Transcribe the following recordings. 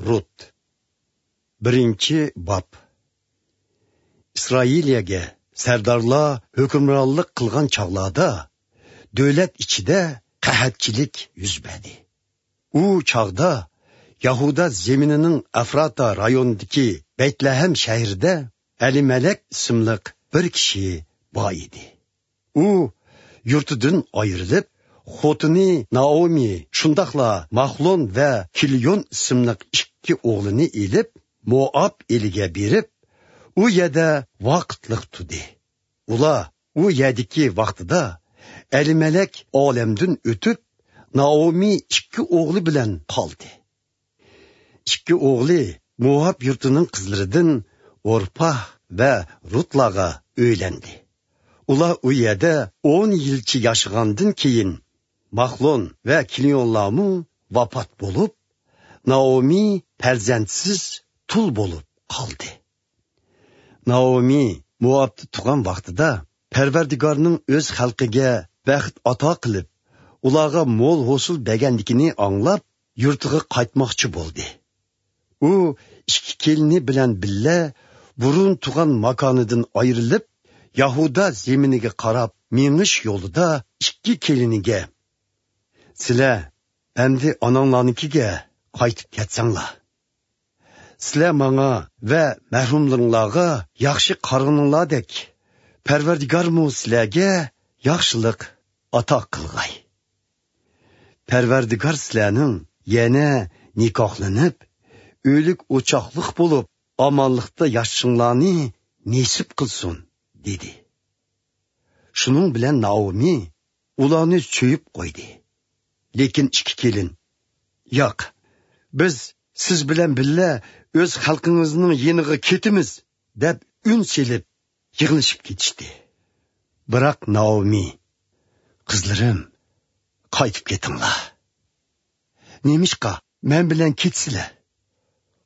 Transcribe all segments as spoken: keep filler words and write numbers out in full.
رۇت. بىرىنچى باب. ئىسرائىلىيەگە سەردارلار ھۆكۈمرانلىق قىلغان چاغلاردا، دۆلەت ئىچىدە قەھەتچىلىك يۈز بەردى. ئۇ چاغدا يەھۇدا زېمىنىنىڭ ئەفراتا رايونىدىكى بەيتلەھەم شەھىرىدە ئەلىمەلەك ئىسىملىق بىر كىشى بار ئىدى. ئۇ يۇرتىدىن ئايرىلىپ، خوتۇنى نائومى، شۇنداقلا ماخلون ۋە كىليون ئىسىملىق ئىككى ئوغلىنى ئېلىپ، موئاب ئېلىگە بېرىپ، ئۇ يەردە ۋاقىتلىق تۇردى. ئۇلار ئۇ يەردىكى ۋاقتىدا ئەلىمەلەك ئالەمدىن ئۆتۈپ، نائومى ئىككى ئوغلى بىلەن قالدى. ئىككى ئوغلى موئاب يۇرتىنىڭ قىزلىرىدىن ئورپاھ ۋە رۇتلارغا ئۆيلەندى. ئۇلار ئۇ يەردە ئون يىلچە ياشىغاندىن كېيىن، ماخلون ۋە كىليونلارمۇ ۋاپات بولۇپ، نائومى پەرزەنتسىز تۇل بولۇپ قالدى. نائومى موئابتا تۇرغان ۋاقتىدا، پەرۋەردىگارنىڭ ئۆز خەلقىگە بەخت ئاتا قىلىپ، ئۇلارغا مول ھوسۇل بەرگەنلىكىنى ئاڭلاپ، يۇرتىغا قايتماقچى بولدى. ئۇ ئىككى كېلىنى بىلەن بىللە بۇرۇن تۇرغان ماكانىدىن ئايرىلىپ، يەھۇدا زېمىنىگە قاراپ مېڭىش يولىدا ئىككى كېلىنىگە، سىلەر ئەمدى ئاناڭلارنىڭكىگە قايتىپ كەتسەڭلار. سىلەر ماڭا ۋە مەرھۇملىرىڭلارغا ياخشى قارىغىنىڭلاردەك، پەرۋەردىگارمۇ سىلەرگە ياخشىلىق ئاتا قىلغاي. پەرۋەردىگار سىلەرنىڭ يەنە نىكاھلىنىپ، ئۆيلۈك ئوچاقلىق بولۇپ، ئامانلىقتا ياشىشىڭلارنى نېسىپ قىلسۇن، دېدى. شۇنىڭ بىلەن نائومى ئۇلارنى سۆيۈپ قويدى. لېكىن ئىككى كېلىن، ياق، بىز سىز بىلەن بىللە ئۆز خەلقىڭىزنىڭ يېنىغا كېتىمىز، دەپ ئۈن سېلىپ يىغلىشىپ كېتىشتى. بىراق نائومى، قىزلىرىم، قايتىپ كېتىڭلار. نېمىشقا مەن بىلەن كېتىسىلەر؟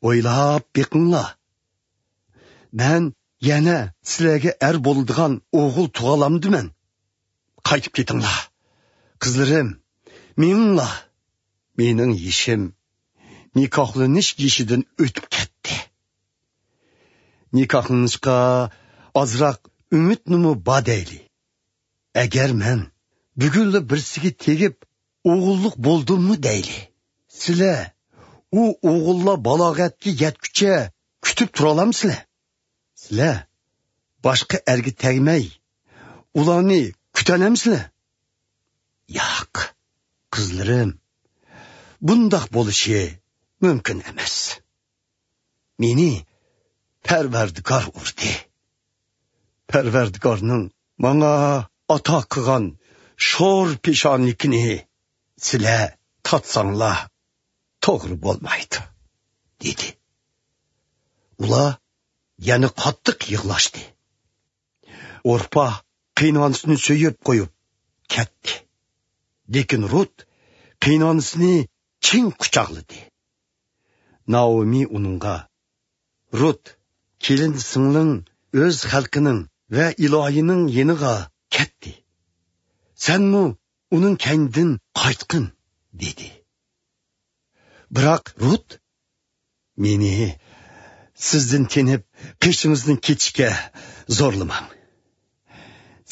ئويلاپ بېقىڭلار. مەن يەنە سىلەرگە ئەر بولىدىغان ئوغۇل تۇغالامدىمەن؟ قايتىپ كېتىڭلار. قىزلىرىم، مېڭىڭلار. مېنىڭ يېشىم نىكاھلىنىش يېشىدىن ئۆتۈپ كەتتى. نىكاھلىنىشقا ئازراق ئۈمىدنىمۇ بار دەيلى. ئەگەر مەن بۈگۈنلا بىرسىگە تېگىپ ئوغۇللۇق بولدۇممۇ دەيلى. سىلەر ئۇ ئوغۇللار بالاغەتكە يەتكۈچە كۈتۈپ تۇرالامسىلەر؟ سىلەر باشقا ئەرگە تەگمەي، ئۇلارنى كۈتەلەمسىلەر؟ ياق، قىزلىرىم، بۇنداق بولۇشى مۇمكىن ئەمەس. مېنى پەرۋەردىگار ئۇردى. پەرۋەردىگارنىڭ ماڭا ئاتا قىلغان شور پېشانىلىكىنى سىلەر تارتساڭلار توغرا بولمايدۇ، دېدى. ئۇلار يەنە قاتتىق يىغلاشتى. ئورپا قېيىنئانىسىنى سۆيۈپ قويۇپ كەتتى. لېكىن رۇت قېيىنئانىسىنى چىڭ قۇچاقلىدى. نائومى ئۇنىڭغا، رۇت، كېلىن سىڭلىڭ ئۆز خەلقىنىڭ ۋە ئىلاھىنىڭ يېنىغا كەتتى. سەنمۇ ئۇنىڭ كەينىدىن قايتقىن، دېدى. بىراق رۇت، مېنى سىزدىن تېنىپ قېشىڭىزدىن كېتىشكە زورلىماڭ.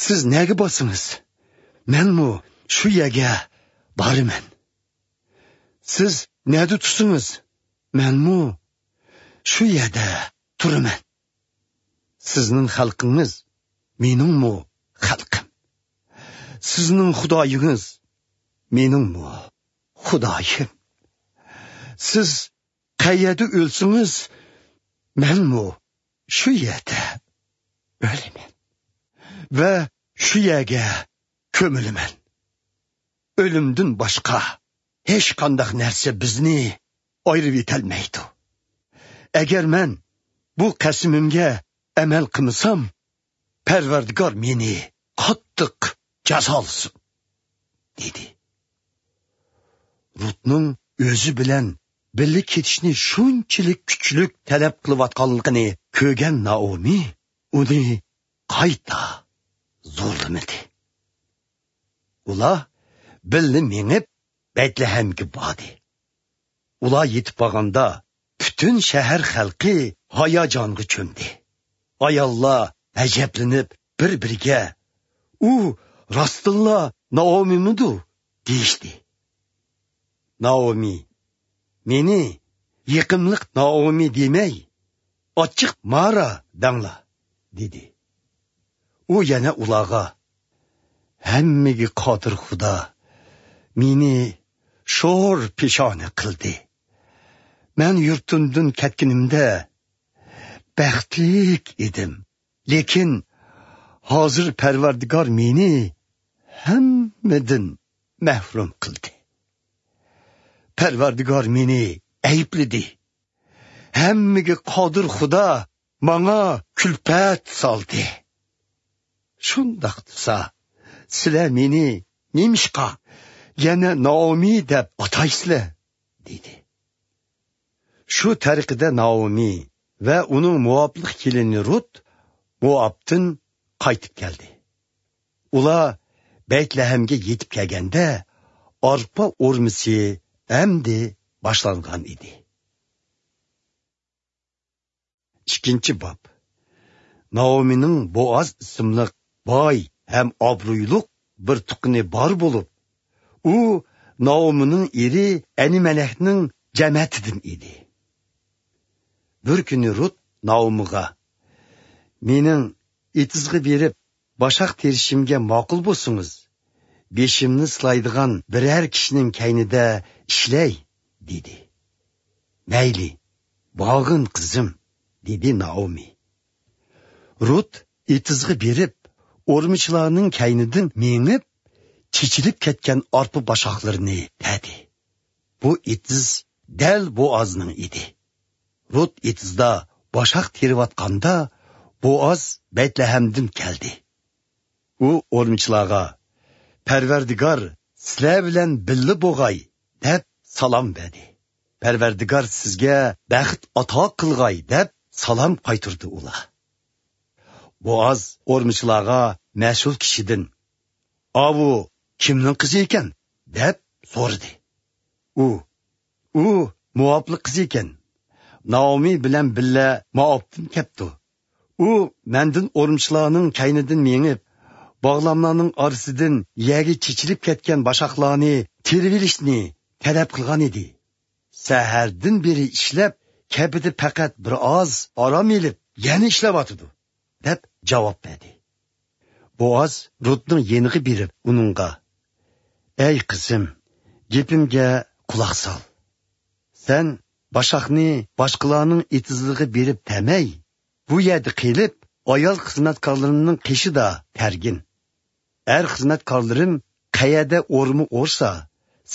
سىز نەگە بارسىڭىز، مەنمۇ شۇ يەرگە بارىمەن. سىز نەدە تۇرسىڭىز، مەنمۇ شۇ يەردە تۇرىمەن. سىزنىڭ خەلقىڭىز مېنىڭمۇ خەلقىم. سىزنىڭ خۇدايىڭىز مېنىڭمۇ خۇدايىم. سىز قەيەردە ئۆلسىڭىز، مەنمۇ شۇ يەردە ئۆلىمەن ۋە شۇ يەرگە كۆمۈلىمەن. ئۆلۈمدىن باشقا ھېچقانداق نەرسە بىزنى ئايرىۋېتەلمەيدۇ. ئەگەر مەن بۇ قەسىمىمگە ئەمەل قىلمىسام، پەرۋەردىگار مېنى قاتتىق جازالىسۇن، دېدى. رۇتنىڭ ئۆزى بىلەن بىللە كېتىشنى شۇنچىلىك كۈچلۈك تەلەپ قىلىۋاتقانلىقىنى كۆرگەن نائومى ئۇنى قايتا زورلىمىدى. ئۇلار بىللە مېڭىپ، بەيتلەھەمگە باردى. ئۇلار يېتىپ بارغاندا، پۈتۈن شەھەر خەلقى ھاياجانغا چۆمدى. ئاياللار ئەجەبلىنىپ بىر-بىرىگە، «ئۇ راستتىنلا نائومىمىدۇ؟» دېيىشتى. نائومى، «مېنى يېقىملىق نائومى دېمەي، ئاچچىق مارا دەڭلار» دېدى. ئۇ يەنە ئۇلارغا، «ھەممىگە قادىر خۇدا مېنى شور پېشانە قىلدى. مەن يۇرتۇمدىن كەتكىنىمدە بەختلىك ئىدىم. لېكىن ھازىر پەرۋەردىگار مېنى ھەممىدىن مەھرۇم قىلدى. پەرۋەردىگار مېنى ئەيىبلىدى. ھەممىگە قادىر خۇدا ماڭا كۈلپەت سالدى. شۇنداق تۇرسا، سىلەر مېنى نېمىشقا يەنە نائومى دەپ ئاتايسىلەر؟» دېدى. شۇ تەرىقىدە نائومى ۋە ئۇنىڭ موئابلىق كېلىنى رۇت موئابتىن قايتىپ كەلدى. ئۇلار بەيتلەھەمگە يېتىپ كەلگەندە، ئارپا ئورمىسى ئەمدى باشلانغان ئىدى. ئىككىنچى باب. نائومىنىڭ بوئاز ئىسىملىق باي ھەم ئابرۇيلۇق بىر تۇغقىنى بار بولۇپ، ئۇ نائومىنىڭ ئېرى ئەنىمەلەكنىڭ جەمەتىدىن ئىدى. بىر كۈنى رۇت نائومىغا، «مېنىڭ ئېتىزغا بېرىپ، باشاق تېرىشىمگە ماقۇل بولسىڭىز، بېشىمنى سىلايدىغان بىرەر كىشىنىڭ كەينىدە ئىشلەي» دېدى. «مەيلى، بارغىن قىزىم» دېدى نائومى. رۇت ئېتىزغا بېرىپ، ئورمىچىلارنىڭ كەينىدىن مېڭىپ، چېچىلىپ كەتكەن ئارپا باشاقلىرىنى تەدى. بۇ ئېتىز دەل بوئازنىڭ ئىدى. رۇت ئېتىزدا باشاق تېرىۋاتقاندا، بوئاز بەيتلەھەمدىن كەلدى. ئۇ ئورمىچىلارغا، «پەرۋەردىگار سىلەر بىلەن بىللە بولغاي» دەپ سالام بەردى. «پەرۋەردىگار سىزگە بەخت ئاتا قىلغاي» دەپ سالام قايتۇردى ئۇلار. بوئاز ئورمىچىلارغا مەسئۇل كىشىدىن، «ئاۋۇ كىمنىڭ قىزى ئىكەن؟» دەپ سورىدى. ئۇ، «ئۇ موئابلىق قىزى ئىكەن. نائومى بىلەن بىللە موئابتىن كەپتۇ. ئۇ مەندىن ئورمىچىلارنىڭ كەينىدىن مېڭىپ، باغلاملارنىڭ ئارىسىدىن يەرگە چېچىلىپ كەتكەن باشاقلارنى تېرىۋېلىشنى تەلەپ قىلغان ئىدى. سەھەردىن بېرى ئىشلەپ، كەپىدە پەقەت بىر ئاز ئارام ئېلىپ، يەنە ئىشلەۋاتىدۇ» دەپ جاۋاب بەردى. بوئاز رۇتنىڭ يېنىغا بېرىپ ئۇنىڭغا، «ئەي قىزىم، گېپىمگە قۇلاق سال. سەن باشاقنى باشقىلارنىڭ ئېتىزلىرىغا بېرىپ تەمەي، بۇ يەردە قېلىپ، ئايال خىزمەتكارلىرىمنىڭ قېشىدا تەرگىن. ئەر خىزمەتكارلىرىم قەيەردە ئورما ئورسا،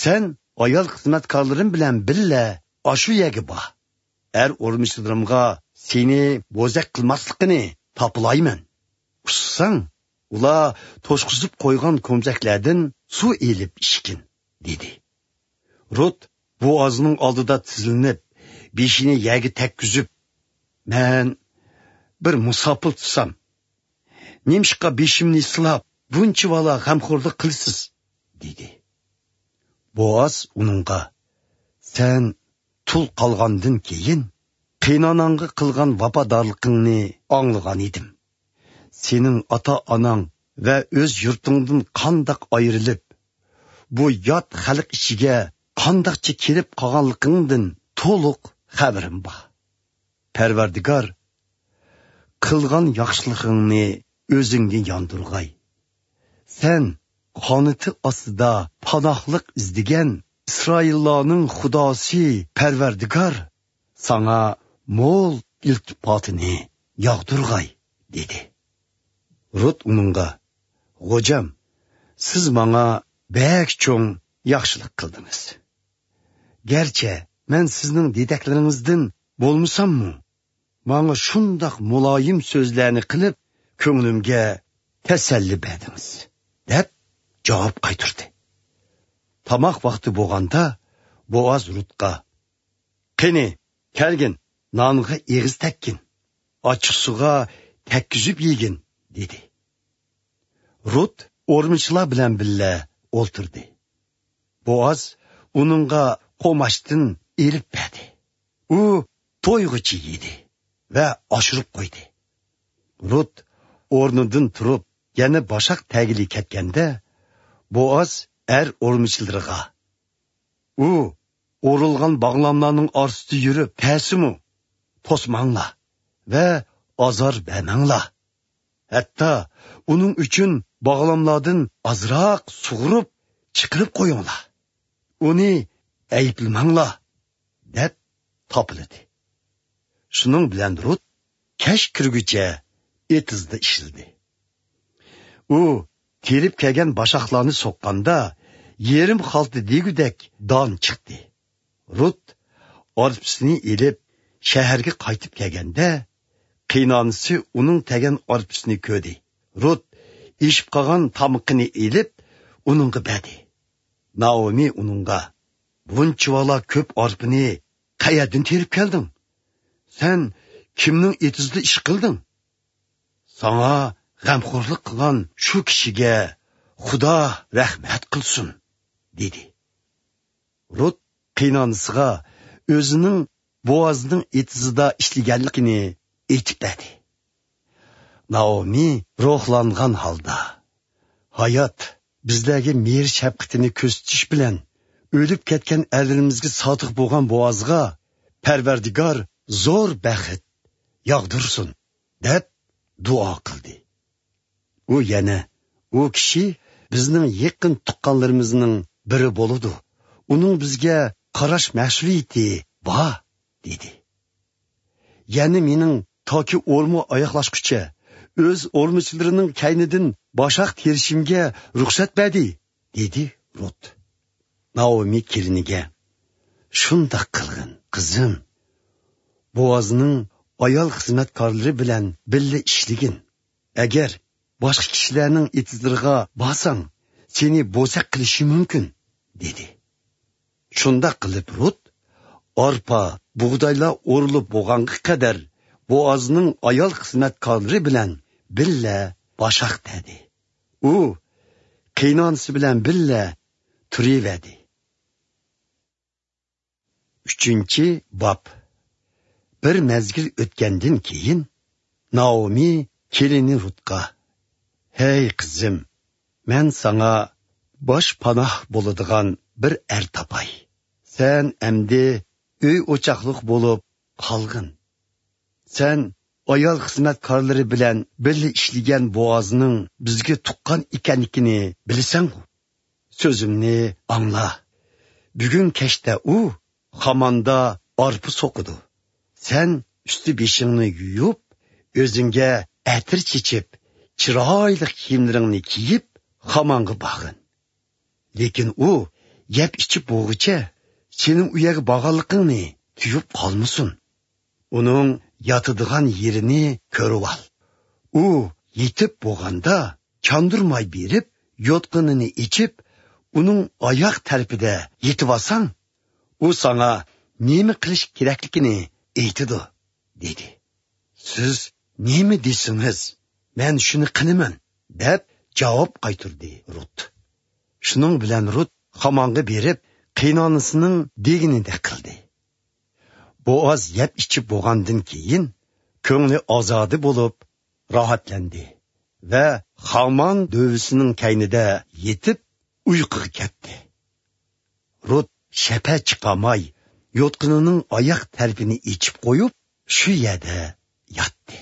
سەن ئايال خىزمەتكارلىرىم بىلەن بىللە ئاشۇ يەرگە بار. ئەر ئورمىچىلىرىمغا سېنى بوزەك قىلماسلىقىنى تاپىلايمەن. ئۇسسىساڭ، ئۇلار توشقۇزۇپ قويغان كومزەكلەردىن سۇ ئېلىپ ئىچكىن» دېدى. رۇت بوئازنىڭ ئالدىدا تىزلىنىپ، بېشىنى يەرگە تەگكۈزۈپ، «مەن بىر مۇساپىر تۇرسام، نېمىشقا بېشىمنى سىلاپ، بۇنچىۋالا غەمخورلۇق قىلىسىز؟» دېدى. بوئاز ئۇنىڭغا، «سەن تۇل قالغاندىن كېيىن، قېيىنئاناڭغا قىلغان ۋاپادارلىقىڭنى ئاڭلىغان ئىدىم. سېنىڭ ئاتا-ئاناڭ ۋە ئۆز يۇرتۇڭدىن قانداق ئايرىلىپ، بۇ يات خەلق ئىچىگە قانداقچە كىرىپ قالغانلىقىڭدىن تولۇق خەۋىرىم بار. پەرۋەردىگار قىلغان ياخشىلىقىڭنى ئۆزۈڭگە ياندۇرغاي. سەن قانىتى ئاستىدا پاناھلىق ئىزدىگەن ئىسرائىللارنىڭ خۇداسى پەرۋەردىگار ساڭا مول ئىلتىپاتىنى ياغدۇرغاي» دېدى. رۇت ئۇنىڭغا، «غوجام، سىز ماڭا بەك چوڭ ياخشىلىق قىلدىڭىز. گەرچە مەن سىزنىڭ دېدەكلىرىڭىزدىن بولمىساممۇ، ماڭا شۇنداق مۇلايىم سۆزلەرنى قىلىپ، كۆڭلۈمگە تەسەللى بەردىڭىز» دەپ جاۋاب قايتۇردى. تاماق ۋاقتى بولغاندا، بوئاز رۇتقا، «قېنى، كەلگىن، نانغا ئېغىز تەگكىن، ئاچچىقسۇغا تەگكۈزۈپ يېگىن» دېدى. رۇت ئورمىچىلار بىلەن بىللە ئولتۇردى. بوئاز ئۇنىڭغا قوماچتىن ئېلىپ بەردى. ئۇ تويغۇچە يېدى ۋە ئاشۇرۇپ قويدى. رۇت ئورنىدىن تۇرۇپ، يەنە باشاق تەگىلى كەتكەندە، بوئاز ئەر ئورمىچىلىرىغا، ئۇ ئورۇلغان باغلاملارنىڭ ئارىسىدا يۈرۈپ تەسىمۇ توسماڭلار ۋە ئازار بەرمەڭلار. ھەتتا ئۇنىڭ ئۈچۈن باغلاملاردىن ئازراق سۇغۇرۇپ چىقىرىپ قويۇڭلار. ئۇنى ئەيىبلىمەڭلار، دەپ تاپىلىدى. شۇنىڭ بىلەن رۇت كەچ كىرگۈچە ئېتىزدا ئىشلىدى. ئۇ تېرىپ كەلگەن باشاقلارنى سوققاندا، يېرىم خالتا دېگۈدەك دان چىقتى. رۇت ئارپىسىنى ئېلىپ، شەھەرگە قايتىپ كەلگەندە، قېيىنئانىسى ئۇنىڭ تەگەن ئارپىسىنى كۆردى. رۇت ئېشىپ قالغان تامىقىنى ئېلىپ، ئۇنىڭغا بەردى. نائومى ئۇنىڭغا، بۇنچىۋالا كۆپ ئارپىنى قەيەردىن تېرىپ كەلدىڭ؟ سەن كىمنىڭ ئېتىزىدا ئىش قىلدىڭ؟ ساڭا غەمخورلۇق قىلغان شۇ كىشىگە خۇدا رەھمەت قىلسۇن، دېدى. رۇت قېيىنئانىسىغا ئۆزىنىڭ بوئازنىڭ ئېتىزىدا ئىشلىگەنلىكىنى ئېيتىپ بەردى. نائومى روھلانغان ھالدا، ھايات بىزلەرگە مېھىر-شەپقىتىنى كۆرسىتىش بىلەن ئۆلۈپ كەتكەن ئەرلىرىمىزگە سادىق بولغان بوئازغا پەرۋەردىگار زور بەخت ياغدۇرسۇن، دەپ دۇئا قىلدى. ئۇ يەنە، ئۇ كىشى بىزنىڭ يېقىن تۇغقانلىرىمىزنىڭ بىرى بولىدۇ. ئۇنىڭ بىزگە قاراش مەسئۇلىيىتى بار، دېدى. يەنە مېنىڭ تاكى ئورما ئاياغلاشقۇچە ئۆز ئورمىچىلىرىنىڭ كەينىدىن باشاق تېرىشىمگە رۇخسەت بەردى، دېدى رۇت. نائومى كېلىنىگە، شۇنداق قىلغىن، قىزىم. بوئازنىڭ ئايال خىزمەتكارلىرى بىلەن بىللە ئىشلىگىن. ئەگەر باشقا كىشىلەرنىڭ ئېتىزلىرىغا بارساڭ، سېنى بوزەك قىلىشى مۇمكىن، دېدى. شۇنداق قىلىپ رۇت ئارپا، بۇغدايلار ئورۇلۇپ بولغانغا قەدەر بوئازنىڭ ئايال خىزمەتكارلىرى بىلەن بىللە باشاق تەدى. ئۇ قېيىنئانىسى بىلەن بىللە تۇرۇۋەردى. ئۈچىنچى باب. بىر مەزگىل ئۆتكەندىن كېيىن، نائومى كېلىنى رۇتقا، ھەي قىزىم، مەن ساڭا باش پاناھ بولىدىغان بىر ئەر تاپاي. سەن ئەمدى ئۆي ئوچاقلىق بولۇپ قالغىن. سەن ئايال خىزمەتكارلىرى بىلەن بىللە ئىشلىگەن بوئازنىڭ بىزگە تۇغقان ئىكەنلىكىنى بىلىسەنغۇ؟ سۆزۈمنى ئاڭلا. بۈگۈن كەچتە ئۇ خاماندا ئارپا سوقىدۇ. سەن ئۈستى بېشىڭنى يۇيۇپ، ئۆزۈڭگە ئەتىر چېچىپ، چىرايلىق كىيىملىرىڭنى كىيىپ، خامانغا بارغىن. لېكىن ئۇ يەپ ئىچىپ بولغۇچە سېنىڭ ئۇ يەرگە بارغانلىقىڭنى تۇيۇپ قالمىسۇن. ئۇنىڭ ياتىدىغان يېرىنى كۆرۈۋال. ئۇ يېتىپ بولغاندا چاندۇرماي بېرىپ، يوتقىنىنى ئېچىپ، ئۇنىڭ ئاياق تەرىپىدە يېتىۋالساڭ، ئۇ ساڭا نېمە قىلىش كېرەكلىكىنى ئېيتىدۇ، دېدى. سىز نېمە دېسىڭىز، مەن شۇنى قىلىمەن، دەپ جاۋاب قايتۇردى رۇت. شۇنىڭ بىلەن رۇت خامانغا بېرىپ، قېيىنئانىسىنىڭ دېگىنىدەك قىلدى. بوئاز يەپ ئىچىپ بولغاندىن كېيىن، كۆڭلى ئازادە بولۇپ، راھەتلەندى ۋە خامان دۆۋىسىنىڭ كەينىدە يېتىپ، ئۇيقۇغا كەتتى. رۇت شەپە چىقارماي، يوتقىنىنىڭ ئاياق تەرىپىنى ئېچىپ قويۇپ، شۇ يەردە ياتتى.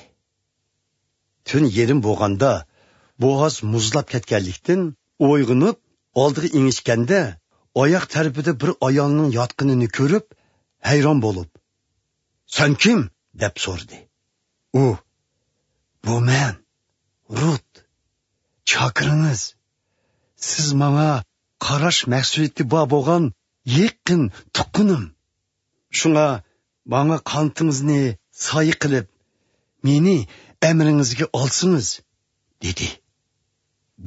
تۈن يېرىم بولغاندا، بوئاز مۇزلاپ كەتكەنلىكتىن ئويغىنىپ، ئالدىغا ئېڭىشكەندە، ئاياق تەرىپىدە بىر ئايالنىڭ ياتقىنىنى كۆرۈپ، ھەيران بولۇپ، «سەن كىم؟» دەپ سورىدى. ئۇ، «بۇ مەن، رۇت، چاكىرىڭىز. سىز ماڭا قاراش مەسئۇلىيىتى بار بولغان يېقىن تۇغقىنىم. شۇڭا ماڭا قانىتىڭىزنى سايە قىلىپ، مېنى ئەمرىڭىزگە ئالسىڭىز،» دېدى.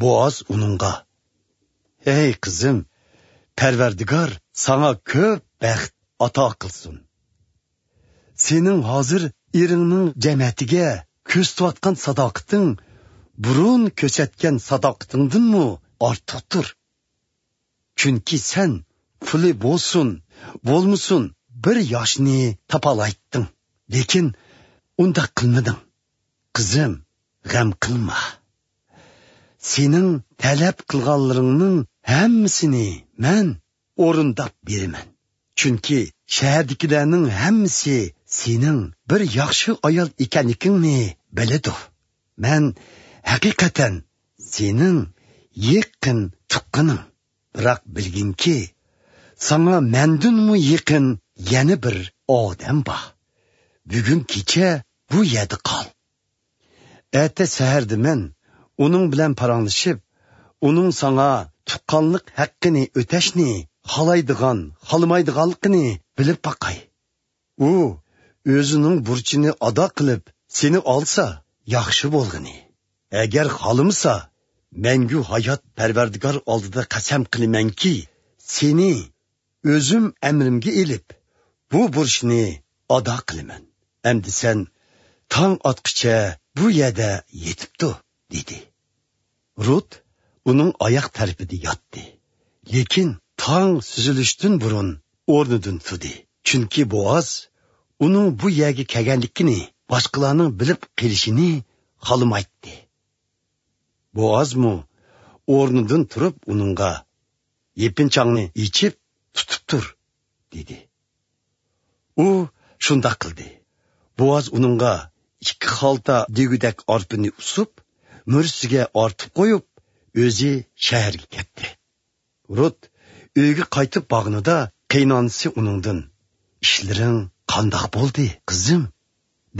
بوئاز ئۇنىڭغا، «ھەي قىزىم، پەرۋەردىگار ساڭا كۆپ بەخت ئاتا قىلسۇن. سېنىڭ ھازىر ئېرىڭنىڭ جەمەتىگە كۆرسىتىۋاتقان ساداقىتىڭ بۇرۇن كۆرسەتكەن ساداقىتىڭدىنمۇ ئارتۇقتۇر. چۈنكى سەن پۇلى بولسۇن، بولمىسۇن، بىر ياشنى تاپالايتتىڭ. لېكىن ئۇنداق قىلمىدىڭ. قىزىم، غەم قىلما. سېنىڭ تەلەپ قىلغانلىرىڭنىڭ ھەممىسىنى مەن ئورۇنداپ بېرىمەن. چۈنكى شەھەردىكىلەرنىڭ ھەممىسى سېنىڭ بىر ياخشى ئايال ئىكەنلىكىڭنى بىلىدۇ. مەن ھەقىقەتەن سېنىڭ يېقىن تۇغقىنىڭ. بىراق بىلگىنكى، ساڭا مەندىنمۇ يېقىن يەنە بىر ئادەم بار. بۈگۈن كېچە بۇ يەردە قال. ئەتە سەھەردە مەن ئۇنىڭ بىلەن پاراڭلىشىپ، ئۇنىڭ ساڭا تۇغقانلىق ھەققىنى ئۆتەشنى خالايدىغان، خالىمايدىغانلىقىنى بىلىپ باقاي. ئۇ ئۆزىنىڭ بۇرچىنى ئادا قىلىپ، سېنى ئالسا، ياخشى بولغىنى. ئەگەر خالىمىسا، مەڭگۈ ھايات پەرۋەردىگار ئالدىدا قەسەم قىلىمەنكى، سېنى ئۆزۈم ئەمرىمگە ئېلىپ، بۇ بۇرچنى ئادا قىلىمەن. ئەمدى سەن تاڭ ئاتقىچە بۇ يەردە يېتىپ تۇر، دېدى. رۇت ئۇنىڭ ئاياق تەرىپىدە ياتتى. لېكىن تاڭ سۈزۈلۈشتىن بۇرۇن ئورنىدىن تۇردى. چۈنكى بوئاز ئۇنىڭ بۇ يەرگە كەلگەنلىكىنى باشقىلارنىڭ بىلىپ قېلىشىنى خالىمايتتى. بوئازمۇ ئورنىدىن تۇرۇپ ئۇنىڭغا، «يېپىنچاڭنى ئېچىپ، تۇتۇپ تۇر» دېدى. ئۇ شۇنداق قىلدى. بوئاز ئۇنىڭغا ئىككى خالتا دېگۈدەك ئارپىنى ئۇسۇپ، مۈرىسىگە ئارتىپ قويۇپ، ئۆزى شەھەرگە كەتتى. رۇت ئۆيگە قايتىپ بارغىنىدا، قېيىنئانىسى ئۇنىڭدىن، «ئىشلىرىڭ قانداق بولدى، قىزىم؟»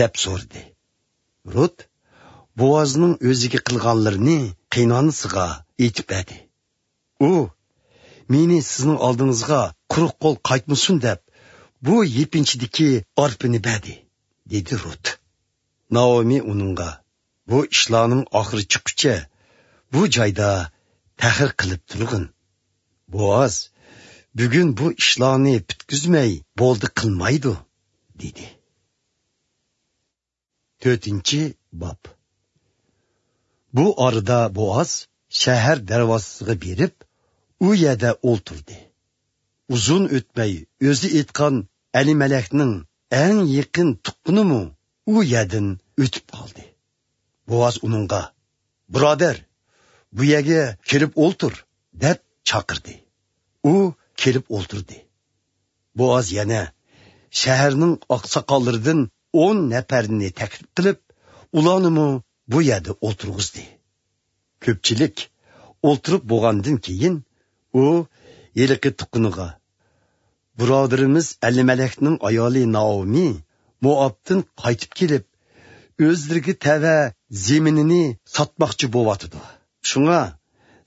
دەپ سورىدى. رۇت بوئازنىڭ ئۆزىگە قىلغانلىرىنى قېيىنئانىسىغا ئېيتىپ بەردى. ئۇ، «مېنى سىزنىڭ ئالدىڭىزغا قۇرۇق قول قايتمىسۇن دەپ، بۇ يېپىنچىدىكى ئارپىنى بەردى» دېدى رۇت. نائومى ئۇنىڭغا، «بۇ ئىشلارنىڭ ئاخىرى چىققۇچە بۇ جايدا تەخىر قىلىپ تۇرغىن. بوئاز بۈگۈن بۇ ئىشلارنى پۈتكۈزمەي بولدى قىلمايدۇ» دېدى. تۆتىنچى باب. بۇ ئارىدا بوئاز شەھەر دەرۋازىسىغا بېرىپ، ئۇ يەردە ئولتۇردى. ئۇزۇن ئۆتمەي ئۆزى ئېيتقان ئەلىمەلەكنىڭ ئەڭ يېقىن تۇغقىنىمۇ ئۇ يەردىن ئۆتۈپ قالدى. بوئاز ئۇنىڭغا، «بۇرادەر، بۇ يەرگە كېلىپ ئولتۇر» دەپ چاقىردى. ئۇ كېلىپ ئولتۇردى. بوئاز يەنە شەھەرنىڭ ئاقساقاللىرىدىن ئون نەپەرنى تەكلىپ قىلىپ، ئۇلارنىمۇ بۇ يەردە ئولتۇرغۇزدى. كۆپچىلىك ئولتۇرۇپ بولغاندىن كېيىن، ئۇ ھېلىقى تۇغقىنىغا، «بۇرادىرىمىز ئەلىمەلەكنىڭ ئايالى نائومى موئابتىن قايتىپ كېلىپ، ئۆزلىرىگە تەۋە زېمىنىنى ساتماقچى بولۇۋاتىدۇ. شۇڭا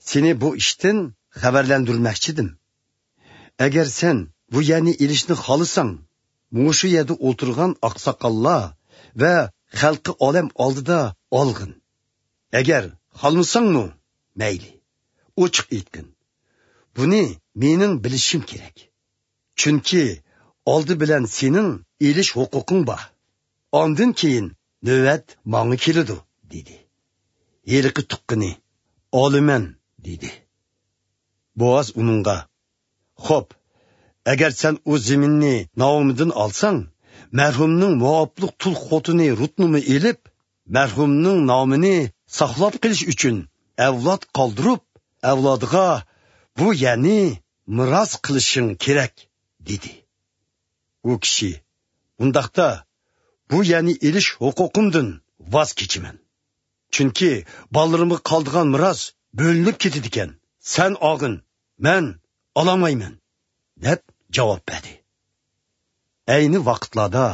سېنى بۇ ئىشتىن خەۋەرلەندۈرمەكچىدىم. ئەگەر سەن بۇ يەرنى ئېلىشنى خالىساڭ، مۇشۇ يەردە ئولتۇرغان ئاقساقاللار ۋە خەلقى ئالەم ئالدىدا ئالغىن. ئەگەر خالىمىساڭمۇ، مەيلى، ئوچۇق ئېيتقىن. بۇنى مېنىڭ بىلىشىم كېرەك. چۈنكى ئالدى بىلەن سېنىڭ ئېلىش ھوقۇقۇڭ بار. ئاندىن كېيىن نۆۋەت ماڭا كېلىدۇ» دېدى. ھېلىقى تۇغقىنى، «ئالىمەن» دېدى. بوئاز ئۇنىڭغا، «خوپ، ئەگەر سەن ئۇ زېمىننى نائومىدىن ئالساڭ، مەرھۇمنىڭ موئابلىق تۇل خوتۇنى رۇتنىمۇ ئېلىپ، مەرھۇمنىڭ نامىنى ساقلاپ قېلىش ئۈچۈن ئەۋلاد قالدۇرۇپ، ئەۋلادىغا بۇ يەرنى مىراس قىلىشىڭ كېرەك» دېدى. ئۇ كىشى، «ئۇنداقتا، بۇ يەرنى ئېلىش ھوقۇقۇمدىن ۋاز كېچىمەن. چۈنكى بالىلىرىمغا قالىدىغان مىراس بۆلۈنۈپ كېتىدىكەن. سەن ئالغىن، مەن ئالالمايمەن» دەپ جاۋاب بەردى. ئەينى ۋاقىتلاردا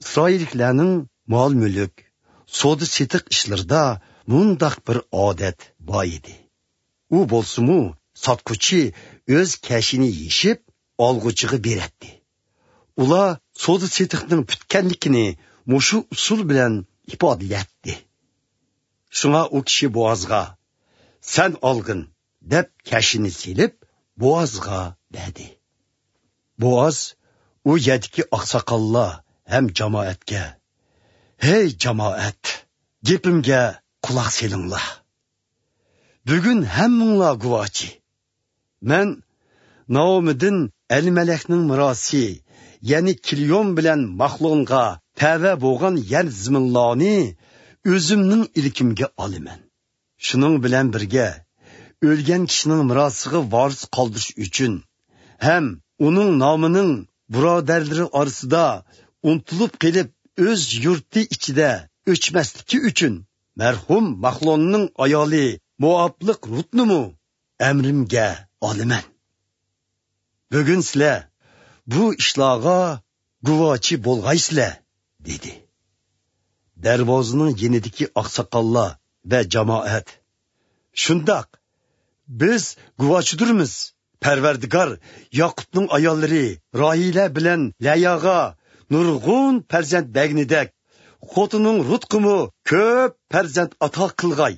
ئىسرائىللىكلەرنىڭ مال-مۈلۈك، سودا-سېتىق ئىشلىرىدا مۇنداق بىر ئادەت بار ئىدى. ئۇ بولسىمۇ، ساتقۇچى ئۆز كەشىنى يېشىپ، ئالغۇچىغا بېرەتتى. ئۇلار سودا-سېتىقنىڭ پۈتكەنلىكىنى مۇشۇ ئۇسۇل بىلەن ئىپادىلەيتتى. شۇڭا ئۇ كىشى بوئازغا، «سەن ئالغىن» دەپ، كەشىنى سېلىپ، بوئازغا بەردى. بوئاز ئۇ يەردىكى ئاقساقاللار ھەم جامائەتكە، «ھەي جامائەت، گېپىمگە قۇلاق سېلىڭلار. بۈگۈن ھەممىڭلار گۇۋاھچى. مەن نائومىدىن ئەلىمەلەكنىڭ مىراسى، يەنى كىليون بىلەن ماخلونغا تەۋە بولغان يەر زېمىنلارنى ئۆزۈمنىڭ ئىلكىمگە ئالىمەن. شۇنىڭ بىلەن بىرگە، ئۆلگەن كىشىنىڭ مىراسىغا ۋارىس قالدۇرۇش ئۈچۈن ھەم ئۇنىڭ نامىنىڭ بۇرادەرلىرى ئارىسىدا ئۇنتۇلۇپ قېلىپ، ئۆز يۇرتى ئىچىدە ئۆچمەسلىكى ئۈچۈن، مەرھۇم ماخلوننىڭ ئايالى موئابلىق رۇتنىمۇ ئەمرىمگە ئالىمەن. بۈگۈن سىلەر بۇ ئىشلارغا گۇۋاچى بولغايسىلەر، دېدى. دەرۋازىنىڭ يېنىدىكى ئاقساقاللار ۋە جامائەت: شۇنداق، بىز گۇۋاچىدۇرمىز. پەرۋەردىگار ياقۇپنىڭ ئاياللىرى راھىلە بىلەن لەياغا نۇرغۇن پەرزەنت بەرگىنىدەك، خوتۇنۇڭ رۇتقىمۇ كۆپ پەرزەنت ئاتا قىلغاي.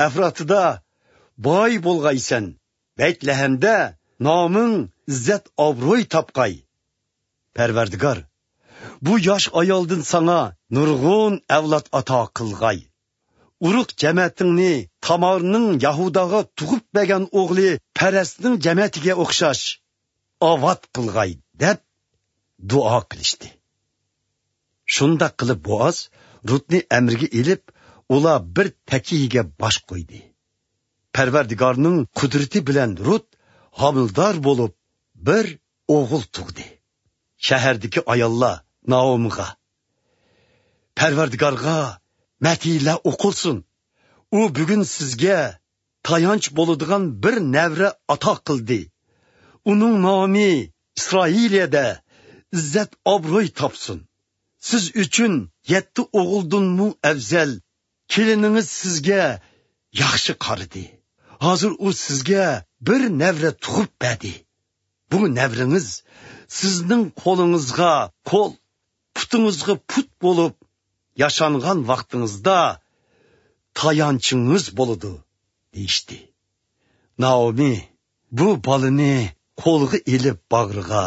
ئەفراتىدا باي بولغايسەن، بەيتلەھەمدە نامىڭ ئىززەت-ئابروي تاپقاي. پەرۋەردىگار بۇ ياش ئايالدىن ساڭا نۇرغۇن ئەۋلاد ئاتا قىلغاي. ئۇرۇق جەمەتىڭنى تامارنىڭ يەھۇداغا تۇغۇپ بەرگەن ئوغلى پەرەسنىڭ جەمەتىگە ئوخشاش ئاۋات قىلغاي، دەپ دۇئا قىلىشتى. شۇنداق قىلىپ بوئاز رۇتنى ئەمرىگە ئېلىپ، ئۇلار بىر تەكىيىگە باش قويدى. پەرۋەردىگارنىڭ قۇدرىتى بىلەن رۇت ھامىلىدار بولۇپ، بىر ئوغۇل تۇغدى. شەھەردىكى ئاياللار نائومىغا: پەرۋەردىگارغا مەدھىيلەر ئوقۇلسۇن. ئۇ بۈگۈن سىزگە تايانچ بولىدىغان بىر نەۋرە ئاتا قىلدى. ئۇنىڭ نامى ئىسرائىلىيەدە ئىززەت-ئابروي تاپسۇن. سىز ئۈچۈن يەتتە ئوغۇلدىنمۇ ئەۋزەل كېلىنىڭىز سىزگە ياخشى قارىدى. ھازىر ئۇ سىزگە بىر نەۋرە تۇغۇپ بەردى. بۇ نەۋرىڭىز سىزنىڭ قولىڭىزغا قول، پۇتىڭىزغا پۇت بولۇپ، ياشانغان ۋاقتىڭىزدا تايانچىڭىز بولىدۇ، دېيىشتى. نائومى بۇ بالىنى قولىغا ئېلىپ باغرىغا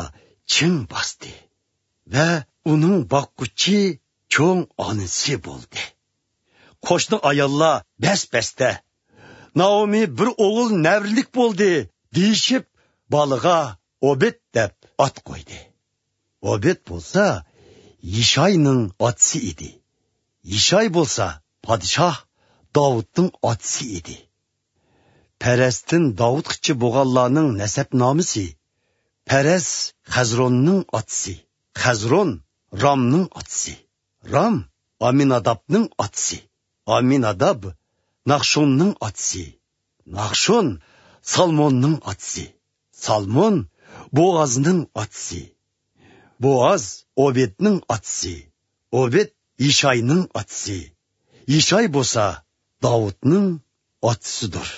چىڭ باستى ۋە ئۇنىڭ باققۇچى چوڭ ئانىسى بولدى. قوشنا ئاياللار بەس-بەستە: نائومى بىر ئوغۇل نەۋرىلىك بولدى، دېيىشىپ، بالىغا ئوبېد دەپ ئات قويدى. ئوبېد بولسا يىشاينىڭ ئاتىسى ئىدى. يىشاي بولسا پادىشاھ داۋۇتنىڭ ئاتىسى ئىدى. پەرەستىن داۋۇتقىچە بولغانلارنىڭ نەسەبنامىسى: پەرەس خەزروننىڭ ئاتىسى، خەزرون رامنىڭ ئاتىسى، رام ئامىنادابنىڭ ئاتىسى، ئامىناداب ناخشوننىڭ ئاتىسى، ناخشون سالموننىڭ ئاتىسى، سالمون بوئازنىڭ ئاتىسى، بوئاز ئوبېدنىڭ ئاتىسى، ئوبېد يىشاينىڭ ئاتىسى، يىشاي بولسا داۋۇتنىڭ ئاتىسىدۇر.